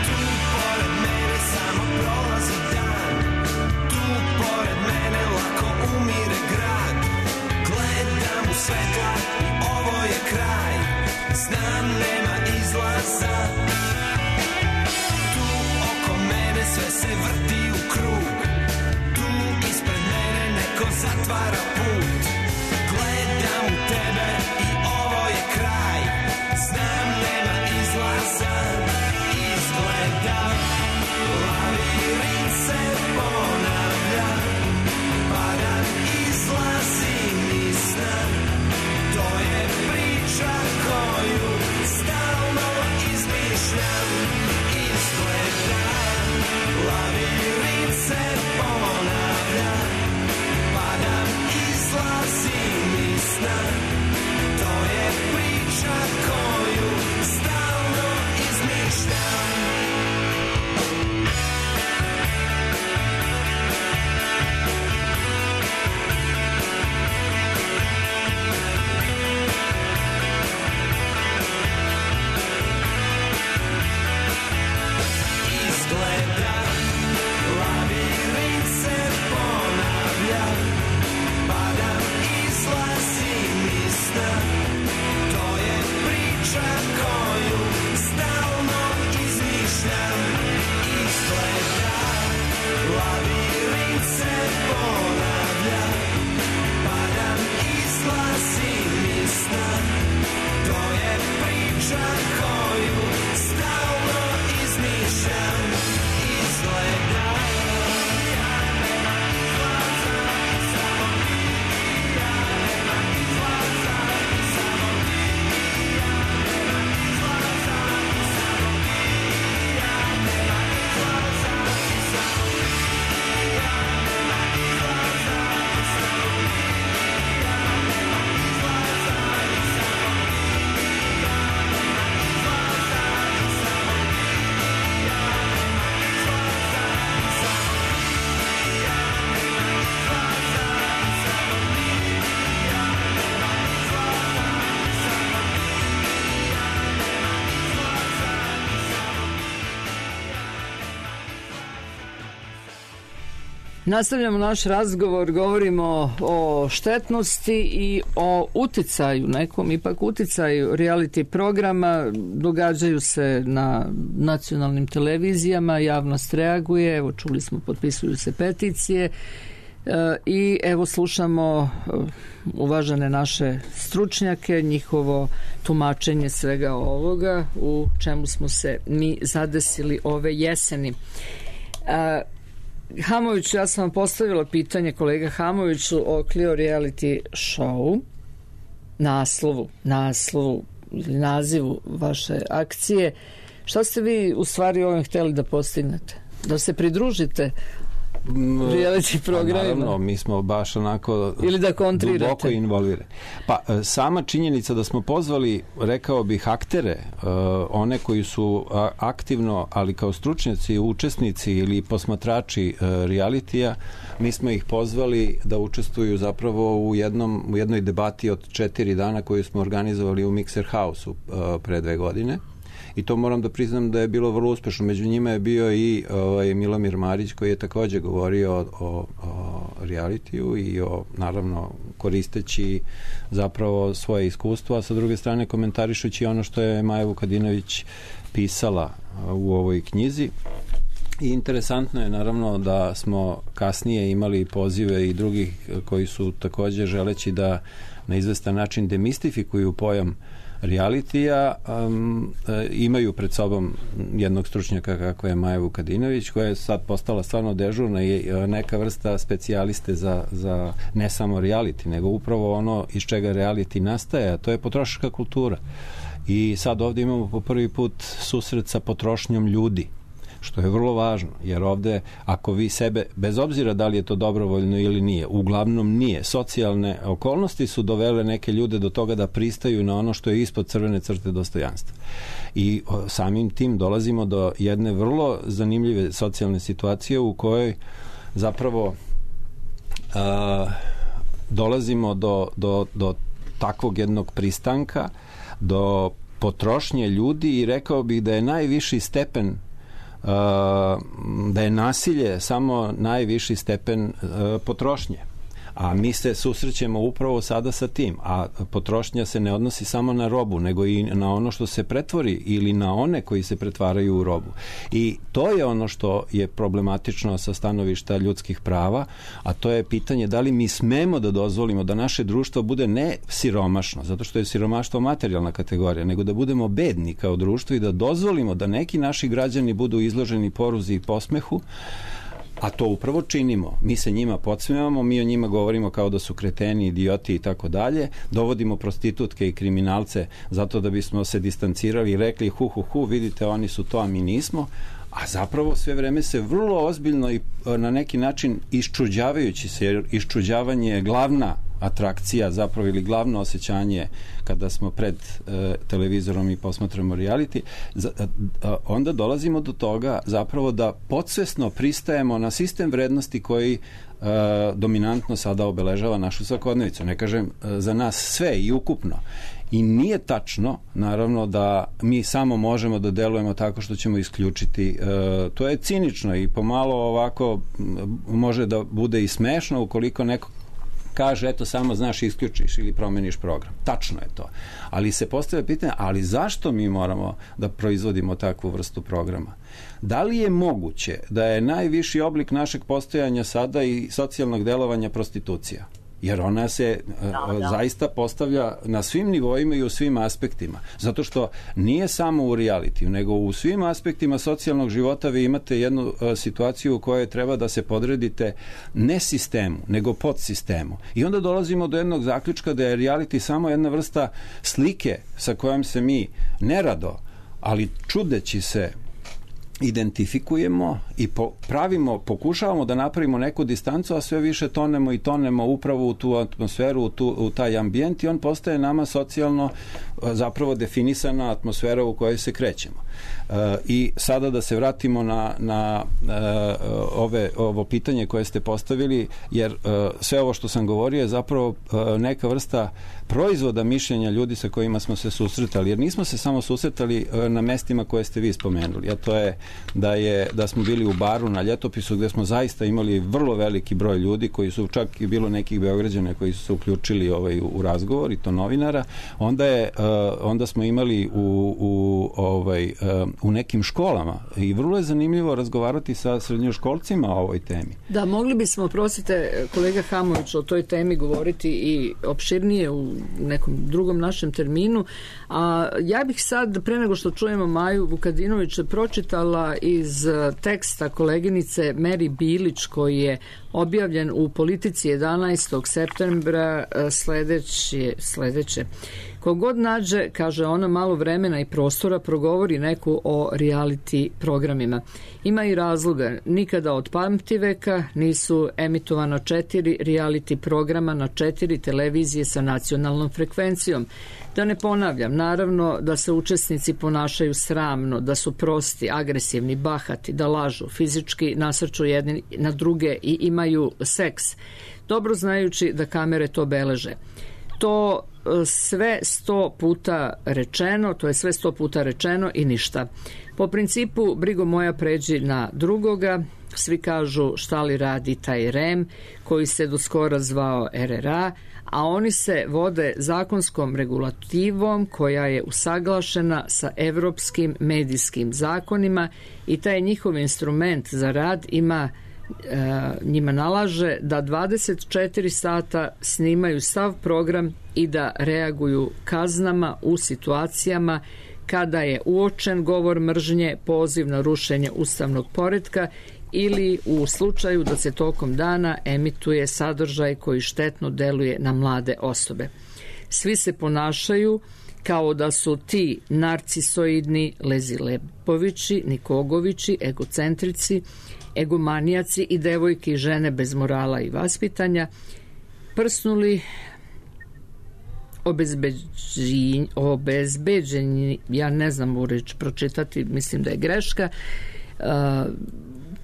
Tu pored mene samo prolazi dan, tu pored mene lako umire grad. Gledam u svetla i ovo je kraj, znam nema izlaza. Tu oko mene sve se vrti u krug, tu ispred mene neko zatvara put. Gledam u tebe i ovo je kraj, znam nema izlaza. Izgleda labirint se ponavlja, padam, izlazim iz sna. To je priča koju stalno izmišljam. Izgleda labirint se ponavlja, padam, izlazim iz sna. To je priča koju stalno izmišljam. Izgleda labirint se ponavlja, padam, izlazim iz sna. To je priča koju stalno izmišljam. Izgleda labirint se ponavlja, padam, izlazim iz sna. To je priča koju stalno izmišljam. Izgleda Nastavljamo naš razgovor, govorimo o štetnosti i o uticaju, nekom ipak uticaju reality programa. Događaju se na nacionalnim televizijama, javnost reaguje, evo čuli smo, potpisuju se peticije i evo slušamo uvažene naše stručnjake, njihovo tumačenje svega ovoga u čemu smo se mi zadesili ove jeseni. Hamović, ja sam vam postavila pitanje, kolega Hamoviću, o Clio reality show, naslovu, naslovu ili nazivu vaše akcije. Šta ste vi u stvari ovim htjeli da postignete? Da se pridružite reality programima? Naravno, mi smo baš onako ili da kontrirate, duboko involvirani. Pa, sama činjenica da smo pozvali, rekao bih, aktere, one koji su aktivno, ali kao stručnjaci, učesnici ili posmatrači realitija, mi smo ih pozvali da učestvuju zapravo u, jednom, u jednoj debati od četiri dana koju smo organizovali u Mixer House-u pre dve godine. I to moram da priznam da je bilo vrlo uspešno. Među njima je bio i ovaj, Milomir Marić, koji je takođe govorio o, o, o realitiju i o, naravno, koristeći zapravo svoje iskustvo, a sa druge strane komentarišući ono što je Maja Vukadinović pisala u ovoj knjizi. I interesantno je naravno da smo kasnije imali pozive i drugih koji su takođe želeći da na izvestan način demistifikuju pojam realitija, um, e, imaju pred sobom jednog stručnjaka kako je Maja Vukadinović, koja je sad postala stvarno dežurna i neka vrsta specijaliste za, za ne samo reality, nego upravo ono iz čega reality nastaje, a to je potrošačka kultura. I sad ovdje imamo po prvi put susret sa potrošnjom ljudi, što je vrlo važno, jer ovdje ako vi sebe, bez obzira da li je to dobrovoljno ili nije, uglavnom nije, socijalne okolnosti su dovele neke ljude do toga da pristaju na ono što je ispod crvene crte dostojanstva. I o, samim tim dolazimo do jedne vrlo zanimljive socijalne situacije u kojoj zapravo a, dolazimo do, do, do takvog jednog pristanka, do potrošnje ljudi i rekao bih da je najviši stepen Uh, da je nasilje samo najviši stepen uh, potrošnje. A mi se susrećemo upravo sada sa tim. A potrošnja se ne odnosi samo na robu, nego i na ono što se pretvori ili na one koji se pretvaraju u robu. I to je ono što je problematično sa stanovišta ljudskih prava, a to je pitanje da li mi smemo da dozvolimo da naše društvo bude ne siromašno, zato što je siromaštvo materijalna kategorija, nego da budemo bedni kao društvo i da dozvolimo da neki naši građani budu izloženi poruzi i posmehu, a to upravo činimo. Mi se njima podsmevamo, mi o njima govorimo kao da su kreteni, idioti i tako dalje, dovodimo prostitutke i kriminalce zato da bismo se distancirali i rekli hu hu hu, vidite oni su to, a mi nismo, a zapravo sve vreme se vrlo ozbiljno i na neki način iščuđavajući se, jer iščuđavanje je glavna atrakcija zapravo ili glavno osjećanje kada smo pred e, televizorom i posmatramo reality, za, a, onda dolazimo do toga zapravo da podsvesno pristajemo na sistem vrednosti koji e, dominantno sada obeležava našu svakodnevicu. Ne kažem e, za nas sve i ukupno. I nije tačno, naravno, da mi samo možemo da delujemo tako što ćemo isključiti. E, to je cinično i pomalo ovako može da bude i smešno ukoliko neko kaže, eto, samo znaš, isključiš ili promeniš program. Tačno je to. Ali se postavlja pitanje, ali zašto mi moramo da proizvodimo takvu vrstu programa? Da li je moguće da je najviši oblik našeg postojanja sada i socijalnog delovanja prostitucija? Jer ona se da, da. zaista postavlja na svim nivoima i u svim aspektima. Zato što nije samo u realitiju, nego u svim aspektima socijalnog života vi imate jednu a, situaciju u kojoj treba da se podredite ne sistemu, nego podsistemu. I onda dolazimo do jednog zaključka da je reality samo jedna vrsta slike sa kojom se mi nerado, ali čudeći se identifikujemo i po, pravimo, pokušavamo da napravimo neku distancu, a sve više tonemo i tonemo upravo u tu atmosferu, u, tu, u taj ambijent i on postaje nama socijalno zapravo definisana atmosfera u kojoj se krećemo. E, I sada da se vratimo na, na e, ove, ovo pitanje koje ste postavili, jer e, sve ovo što sam govorio je zapravo e, neka vrsta proizvoda mišljenja ljudi sa kojima smo se susretali, jer nismo se samo susretali e, na mestima koje ste vi spomenuli, a to je da je da smo bili u baru na Ljetopisu gdje smo zaista imali vrlo veliki broj ljudi koji su, čak i bilo nekih Beograđana koji su se uključili ovaj, u razgovor i to novinara, onda je uh, onda smo imali u, u, ovaj, uh, u nekim školama i vrlo je zanimljivo razgovarati sa srednjoškolcima o ovoj temi. Da, mogli bismo, prosite kolega Hamović, o toj temi govoriti i opširnije u nekom drugom našem terminu, a ja bih sad, pre nego što čujemo Maju Vukadinović, pročitala iz teksta koleginice Meri Bilić koji je objavljen u Politici jedanaestog septembra sledeće, sledeće. Kogod nađe, kaže ona, malo vremena i prostora progovori neku o reality programima. Ima i razloga. Nikada od pamtiveka nisu emitovana četiri reality programa na četiri televizije sa nacionalnom frekvencijom. Da ne ponavljam, naravno da se učesnici ponašaju sramno, da su prosti, agresivni, bahati, da lažu, fizički nasrču jedni na druge i imaju seks, dobro znajući da kamere to beleže. To sve sto puta rečeno, to je sve sto puta rečeno i ništa. Po principu, brigo moja pređi na drugoga, svi kažu šta li radi taj R E M, koji se do skora zvao R R A, a oni se vode zakonskom regulativom koja je usaglašena sa evropskim medijskim zakonima i taj njihov instrument za rad ima njima nalaže da dvadeset četiri sata snimaju sav program i da reaguju kaznama u situacijama kada je uočen govor mržnje, poziv na rušenje ustavnog poretka ili u slučaju da se tokom dana emituje sadržaj koji štetno deluje na mlade osobe. Svi se ponašaju kao da su ti narcisoidni Lezilepovići, Nikogovići, egocentrici, egomanijaci i devojke i žene bez morala i vaspitanja prsnuli obezbeđenji, obezbeđenji, ja ne znam u reč pročitati, mislim da je greška, uh,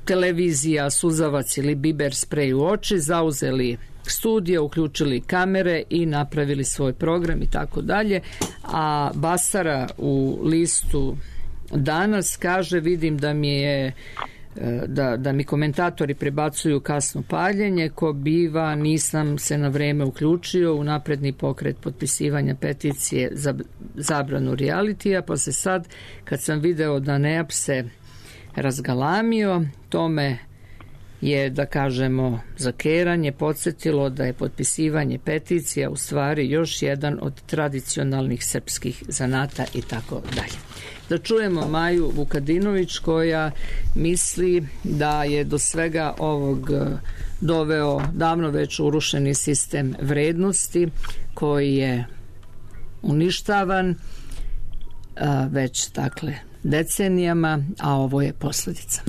televizija, suzavac ili biber sprej u oči, zauzeli studije, uključili kamere i napravili svoj program i tako dalje. A Basara u listu Danas kaže, vidim da mi je Da, da mi komentatori prebacuju kasno paljenje, ko biva, nisam se na vreme uključio u napredni pokret potpisivanja peticije za zabranu realitija, pa se sad, kad sam video da Neap se razgalamio, tome je, da kažemo, zakeranje podsjetilo da je potpisivanje peticija u stvari još jedan od tradicionalnih srpskih zanata i tako dalje. Da čujemo Maju Vukadinović koja misli da je do svega ovog doveo davno već urušeni sistem vrednosti koji je uništavan već dakle decenijama, a ovo je posljedica.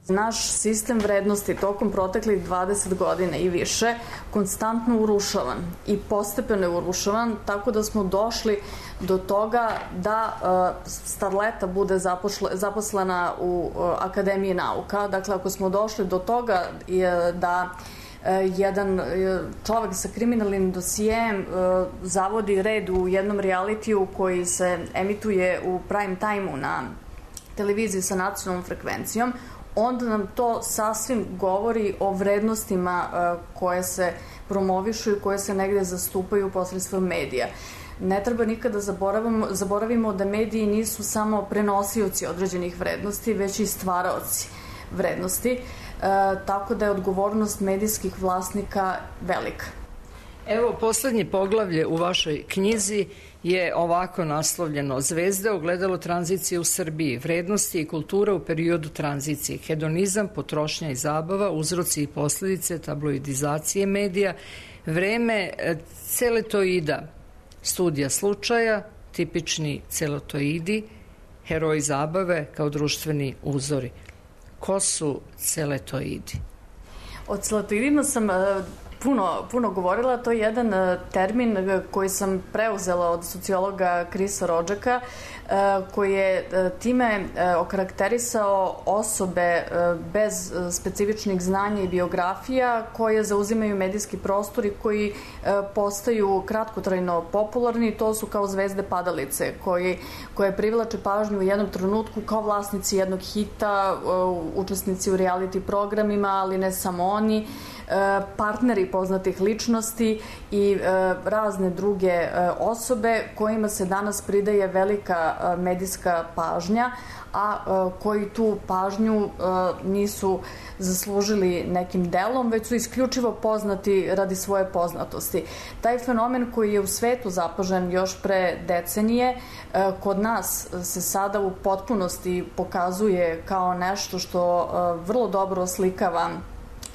Naš sistem vrednosti tokom proteklih dvadeset godina i više konstantno urušavan i postepeno je urušavan, tako da smo došli do toga da uh, starleta bude zapošle, zaposlena u uh, Akademiji nauka. Dakle, ako smo došli do toga je, da uh, jedan uh, čovek sa kriminalnim dosijem uh, zavodi red u jednom realitiju koji se emituje u prime time-u na televiziji sa nacionalnom frekvencijom, onda nam to sasvim govori o vrednostima uh, koje se promovišu i koje se negde zastupaju posredstvom medija. Ne treba nikada zaboravimo, zaboravimo da mediji nisu samo prenosioci određenih vrednosti, već i stvaraoci vrednosti, e, tako da je odgovornost medijskih vlasnika velika. Evo, poslednje poglavlje u vašoj knjizi je ovako naslovljeno: Zvezde, ogledalo tranzicije u Srbiji, vrednosti i kultura u periodu tranzicije, hedonizam, potrošnja i zabava, uzroci i posledice tabloidizacije medija, vreme celetoida, studija slučaja, tipični celetoidi, heroji zabave kao društveni uzori. Ko su celetoidi? O celetoidima sam puno, puno govorila. To je jedan termin koji sam preuzela od sociologa Krisa Rodžaka, koji je time okarakterisao osobe bez specifičnih znanja i biografija koje zauzimaju medijski prostor i koji postaju kratkotrajno popularni. To su kao zvezde padalice koji, koje privlače pažnju u jednom trenutku kao vlasnici jednog hita, učesnici u reality programima, ali ne samo oni, partneri poznatih ličnosti i razne druge osobe kojima se danas pridaje velika medijska pažnja, a koji tu pažnju nisu zaslužili nekim delom, već su isključivo poznati radi svoje poznatosti. Taj fenomen koji je u svetu zapažen još pre decenije, kod nas se sada u potpunosti pokazuje kao nešto što vrlo dobro oslikava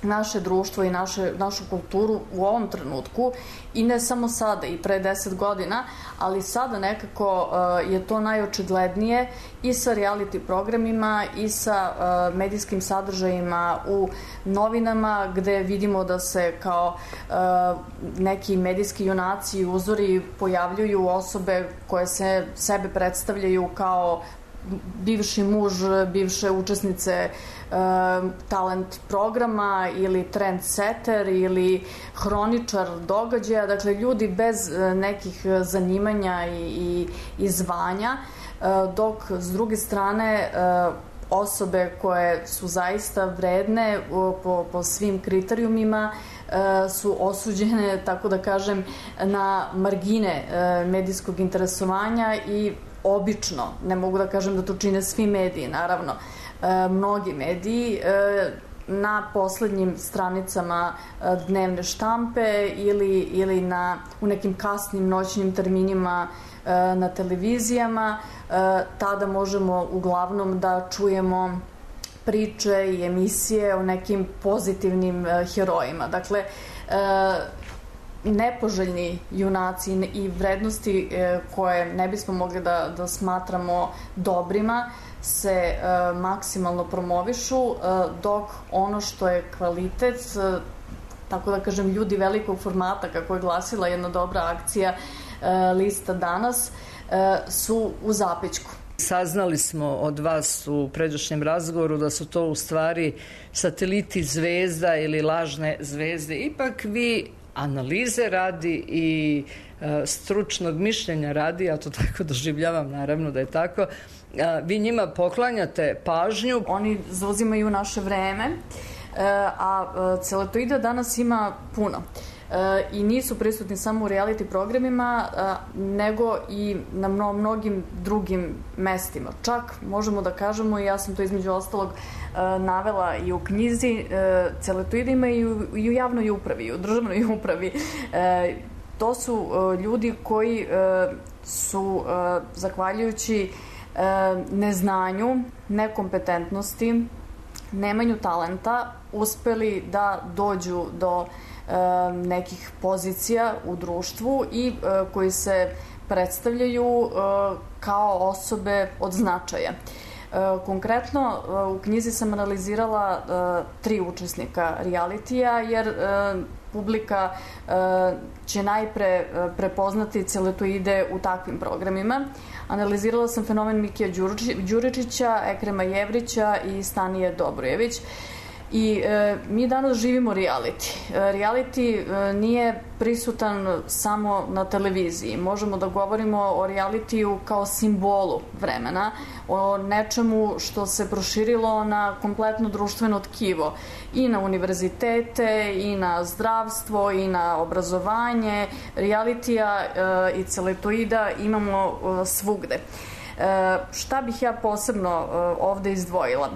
naše društvo i naše, našu kulturu u ovom trenutku, i ne samo sada, i pre deset godina, ali sada nekako uh, je to najočiglednije i sa reality programima i sa uh, medijskim sadržajima u novinama, gde vidimo da se kao uh, neki medijski junaci i uzori pojavljuju osobe koje se sebe predstavljaju kao bivši muž, bivše učesnice e, talent programa ili trendsetter ili hroničar događaja, dakle ljudi bez nekih zanimanja i, i, i zvanja, e, dok s druge strane e, osobe koje su zaista vredne po, po svim kriterijumima e, su osuđene, tako da kažem, na margine e, medijskog interesovanja i obično, ne mogu da kažem da to čine svi mediji, naravno, mnogi mediji na poslednjim stranicama dnevne štampe ili, ili na, u nekim kasnim noćnim terminima na televizijama. Tada možemo uglavnom da čujemo priče i emisije o nekim pozitivnim herojima. Dakle, nepoželjni junaci i vrednosti koje ne bismo mogli da, da smatramo dobrima se e, maksimalno promovišu, e, dok ono što je kvalitet, e, tako da kažem, ljudi velikog formata, kako je glasila jedna dobra akcija e, lista danas, e, su u zapećku. Saznali smo od vas u pređašnjem razgovoru da su to u stvari sateliti zvezda ili lažne zvezde. Ipak vi analize radi i e, stručnog mišljenja radi, ja to tako doživljavam, naravno da je tako, e, vi njima poklanjate pažnju. Oni zauzimaju naše vreme, e, a celetoida danas ima puno. E, I nisu prisutni samo u reality programima, e, nego i na mno, mnogim drugim mestima. Čak možemo da kažemo, i ja sam to između ostalog e, navela i u knjizi, e, celetoida ima i u, i u javnoj upravi, i u državnoj upravi. E, to su e, ljudi koji e, su, e, zahvaljujući e, neznanju, nekompetentnosti, nemanju talenta, uspeli da dođu do nekih pozicija u društvu i koji se predstavljaju kao osobe od značaja. Konkretno, u knjizi sam analizirala tri učesnika realitija, jer publika će najpre prepoznati celetoide u takvim programima. Analizirala sam fenomen Mikija Đuričića, Ekrema Jevrića i Stanije Dobrojević. I e, mi danas živimo reality. E, reality e, nije prisutan samo na televiziji. Možemo da govorimo o realitiju kao simbolu vremena, o nečemu što se proširilo na kompletno društveno tkivo, i na univerzitete, i na zdravstvo, i na obrazovanje. Realitija e, i celetoida imamo e, svugde. E, šta bih ja posebno e, ovde izdvojila?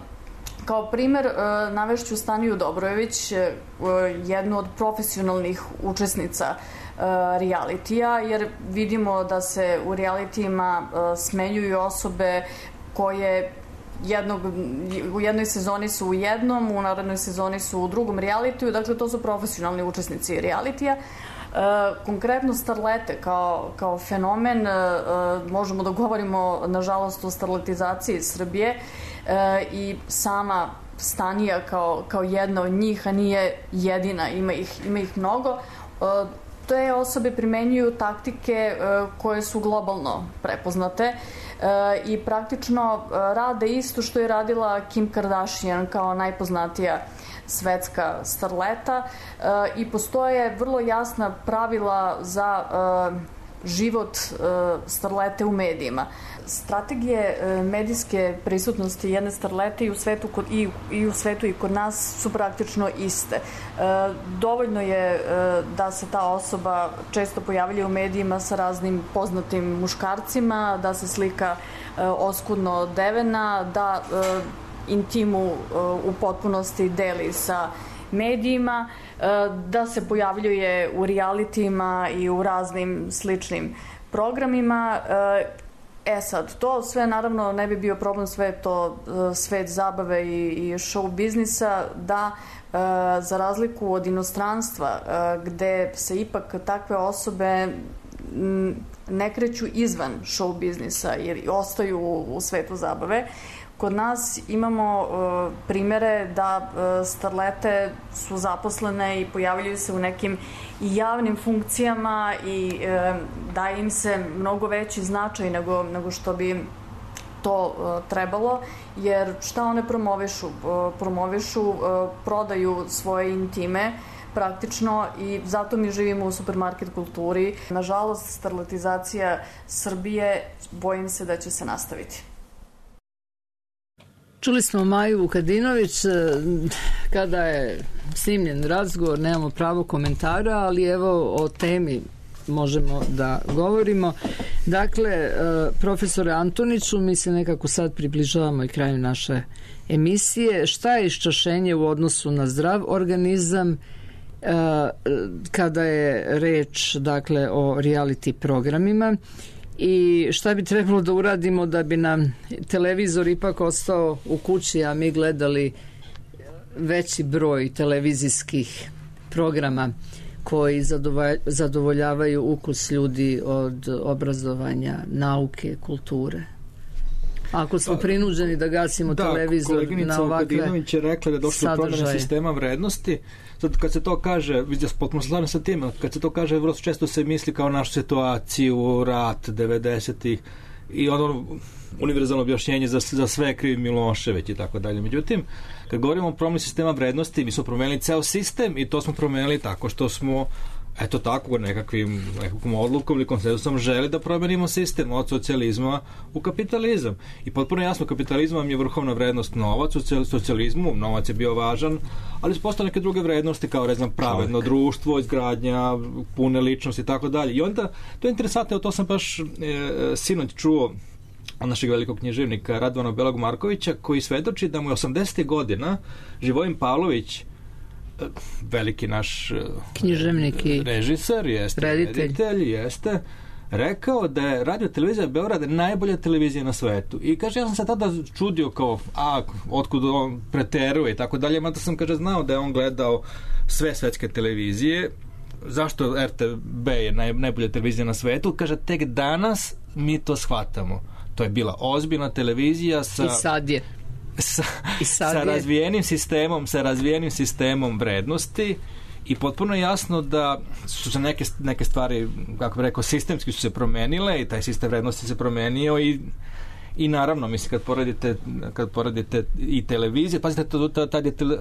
Kao primer navešću Staniju Dobrojević, jednu od profesionalnih učesnica realitija, jer vidimo da se u realitijima smenjuju osobe koje jednog, u jednoj sezoni su u jednom, u narednoj sezoni su u drugom realitiju, dakle to su profesionalni učesnici realitija. Konkretno starlete kao, kao fenomen, možemo da govorimo nažalost o starletizaciji Srbije, i sama Stanija kao, kao jedna od njih, a nije jedina, ima ih, ima ih mnogo. Te osobe primenjuju taktike koje su globalno prepoznate i praktično rade isto što je radila Kim Kardashian kao najpoznatija svetska starleta, i postoje vrlo jasna pravila za život starlete u medijima. Strategije medijske prisutnosti jedne starlete i u svetu i, i u svetu i kod nas su praktično iste. Dovoljno je da se ta osoba često pojavlja u medijima sa raznim poznatim muškarcima, da se slika oskudno odevena, da intimu u potpunosti deli sa medijima, da se pojavljuje u realitijima i u raznim sličnim programima. E sad, to sve naravno ne bi bio problem, sve je to svet zabave i, i show biznisa, da za razliku od inostranstva gde se ipak takve osobe ne kreću izvan show biznisa jer ostaju u, u svetu zabave, kod nas imamo uh, primere da uh, starlete su zaposlene i pojavljaju se u nekim i javnim funkcijama i uh, daje im se mnogo veći značaj nego, nego što bi to uh, trebalo, jer šta one promovišu? Uh, promovišu, uh, prodaju svoje intime praktično, i zato mi živimo u supermarket kulturi. Nažalost, starletizacija Srbije, bojim se da će se nastaviti. Čuli smo Maju Vukadinović, kada je snimljen razgovor, nemamo pravo komentara, ali evo o temi možemo da govorimo. Dakle, profesore Antoniću, mi se nekako sad približavamo i kraju naše emisije. Šta je iščašenje u odnosu na zdrav organizam kada je reč, dakle, o reality programima i šta bi trebalo da uradimo da bi nam televizor ipak ostao u kući, a mi gledali veći broj televizijskih programa koji zadovoljavaju ukus ljudi od obrazovanja, nauke, kulture. Ako smo prinuđeni da gasimo da, televizor na ovakve Vukadinović je rekla da je došlo do promjene sistema vrednosti. Sad kad se to kaže, vidim se potpuno slažem sa tim, kad se to kaže, vrlo često se misli kao našu situaciju, rat devedesetih i ono univerzalno objašnjenje za, za sve krivi Milošević i tako dalje. Međutim, kad govorimo o promjeni sistema vrednosti, mi smo promenili ceo sistem i to smo promenili tako što smo eto tako nekakvim, nekakvom odlukom ili konsenzusom želi da promenimo sistem od socijalizma u kapitalizam. I potpuno jasno, kapitalizam je vrhovna vrednost novac, u socijalizmu novac je bio važan, ali su postale neke druge vrednosti kao, ne znam, pravedno Čovjek. društvo, izgradnja, pune ličnosti i tako dalje. I onda, to je interesantno, to sam baš e, sinoć čuo od našeg velikog književnika Radovana Belog Markovića, koji svedoči da mu je osamdesetih godina Živojin Pavlović, veliki naš književnik i režiser, jeste reditelj. reditelj, jeste rekao da je Radio televizija Beograd najbolja televizija na svetu. I kaže, ja sam se tada čudio kao, a, otkud on preteruje i tako dalje, mada sam, kaže, znao da je on gledao sve svetske televizije. Zašto R T B je naj, najbolja televizija na svetu? Kaže, tek danas mi to shvatamo. To je bila ozbiljna televizija sa... I sad je. Sa, sa razvijenim sistemom sa razvijenim sistemom vrednosti i potpuno je jasno da su se neke, neke stvari, kako bih rekao, sistemski su se promenile i taj sistem vrednosti se promenio i i naravno, mislim, kad poredite, kad poredite i televizije, pazite, tad je tele,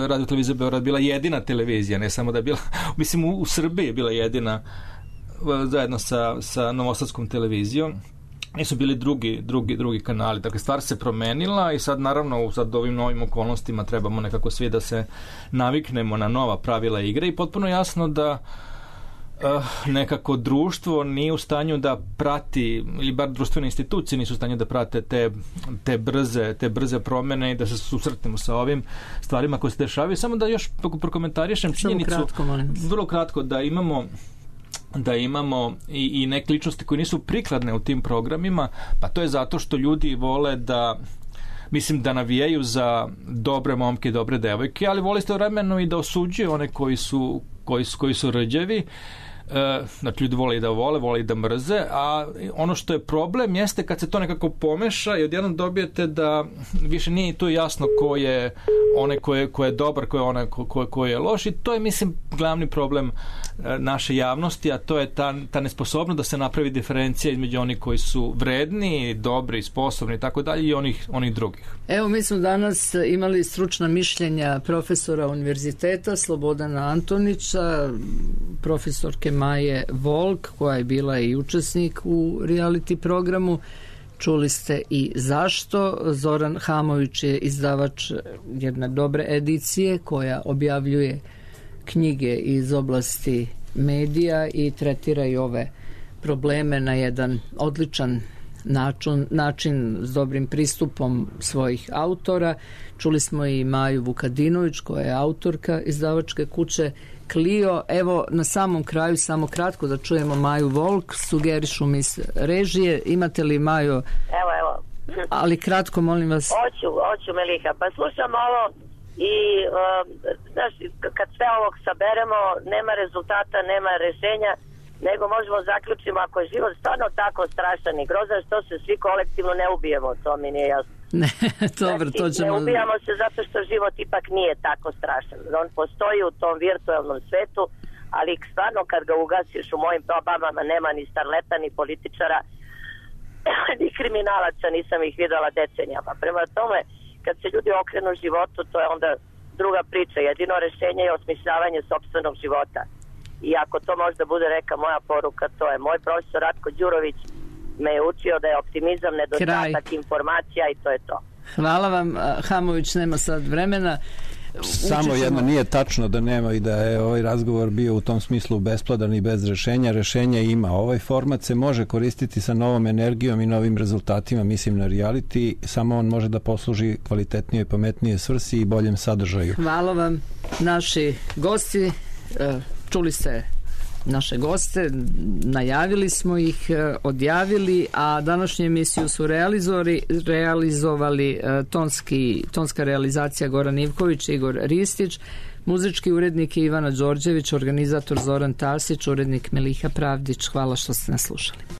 Radio televizija Beograd bila jedina televizija, ne samo da je bila, mislim, u, u Srbiji je bila jedina zajedno sa, sa Novosadskom televizijom. Nisu bili drugi, drugi, drugi kanali. Dakle, stvar se promenila i sad, naravno, u sad ovim novim okolnostima trebamo nekako svi da se naviknemo na nova pravila igre i potpuno jasno da uh, nekako društvo nije u stanju da prati, ili bar društvene institucije nisu u stanju da prate te, te, brze, te brze promene i da se susretnemo sa ovim stvarima koje se dešavaju. Samo da još prokomentarišem činjenicu, kratko, vrlo kratko, da imamo da imamo i, i neke ličnosti koje nisu prikladne u tim programima, pa to je zato što ljudi vole da, mislim, da navijaju za dobre momke i dobre devojke, ali vole istovremeno i da osuđuju one koji su, koji su, koji su rđevi. E, znači, ljudi vole i da vole, vole i da mrze, a ono što je problem jeste kad se to nekako pomeša i odjednom dobijete da više nije to jasno ko je onaj ko je, ko je dobar, ko je onaj ko, ko, ko je loš, i to je, mislim, glavni problem e, naše javnosti, a to je ta, ta nesposobnost da se napravi diferencija između onih koji su vredni, dobri, sposobni i tako dalje i onih, onih drugih. Evo, mi smo danas imali stručna mišljenja profesora univerziteta Slobodana Antonića, profesorke Maje Volk, koja je bila i učesnik u reality programu. Čuli ste i zašto. Zoran Hamović je izdavač jedne dobre edicije koja objavljuje knjige iz oblasti medija i tretira i ove probleme na jedan odličan način, način s dobrim pristupom svojih autora. Čuli smo i Maju Vukadinović, koja je autorka izdavačke kuće Clio. Evo, na samom kraju, samo kratko da čujemo Maju Volk, sugerišu mi režije. Imate li, Majo? Evo, evo. Ali kratko, molim vas. Hoću, hoću, Meliha. Pa slušam ovo i, uh, znaš, kad sve ovog saberemo, nema rezultata, nema rešenja, nego možemo zaključiti, ako je život stvarno tako strašan i grozan, što se svi kolektivno ne ubijemo, to mi nije jasno. Ne, dobro, znači, to ćemo... Ne ubijamo se zato što život ipak nije tako strašan. On postoji u tom virtualnom svetu, ali stvarno kad ga ugasiš, u mojim probama nema ni starleta, ni političara, ni kriminalaca, nisam ih videla decenijama. Prema tome, kad se ljudi okrenu životu, to je onda druga priča. Jedino rešenje je osmišljavanje sopstvenog života. I ako to možda bude neka moja poruka, to je moj profesor Ratko Đurović me je učio da je optimizam nedostatak informacija i to je to. Hvala vam. Hamović nema sad vremena. Samo jedno, nije tačno da nema i da je ovaj razgovor bio u tom smislu bespladan i bez rešenja. Rešenja ima. Ovaj format se može koristiti sa novom energijom i novim rezultatima, mislim na reality, samo on može da posluži kvalitetnije, pametnije svrsi i boljem sadržaju. Hvala vam. Naši gosti, čuli ste naše goste, najavili smo ih, odjavili, a današnju emisiju su realizovali, realizovali tonski, tonska realizacija Goran Ivković, Igor Ristić, muzički urednik Ivana Đorđević, organizator Zoran Tasić, urednik Miliha Pravdić. Hvala što ste nas slušali.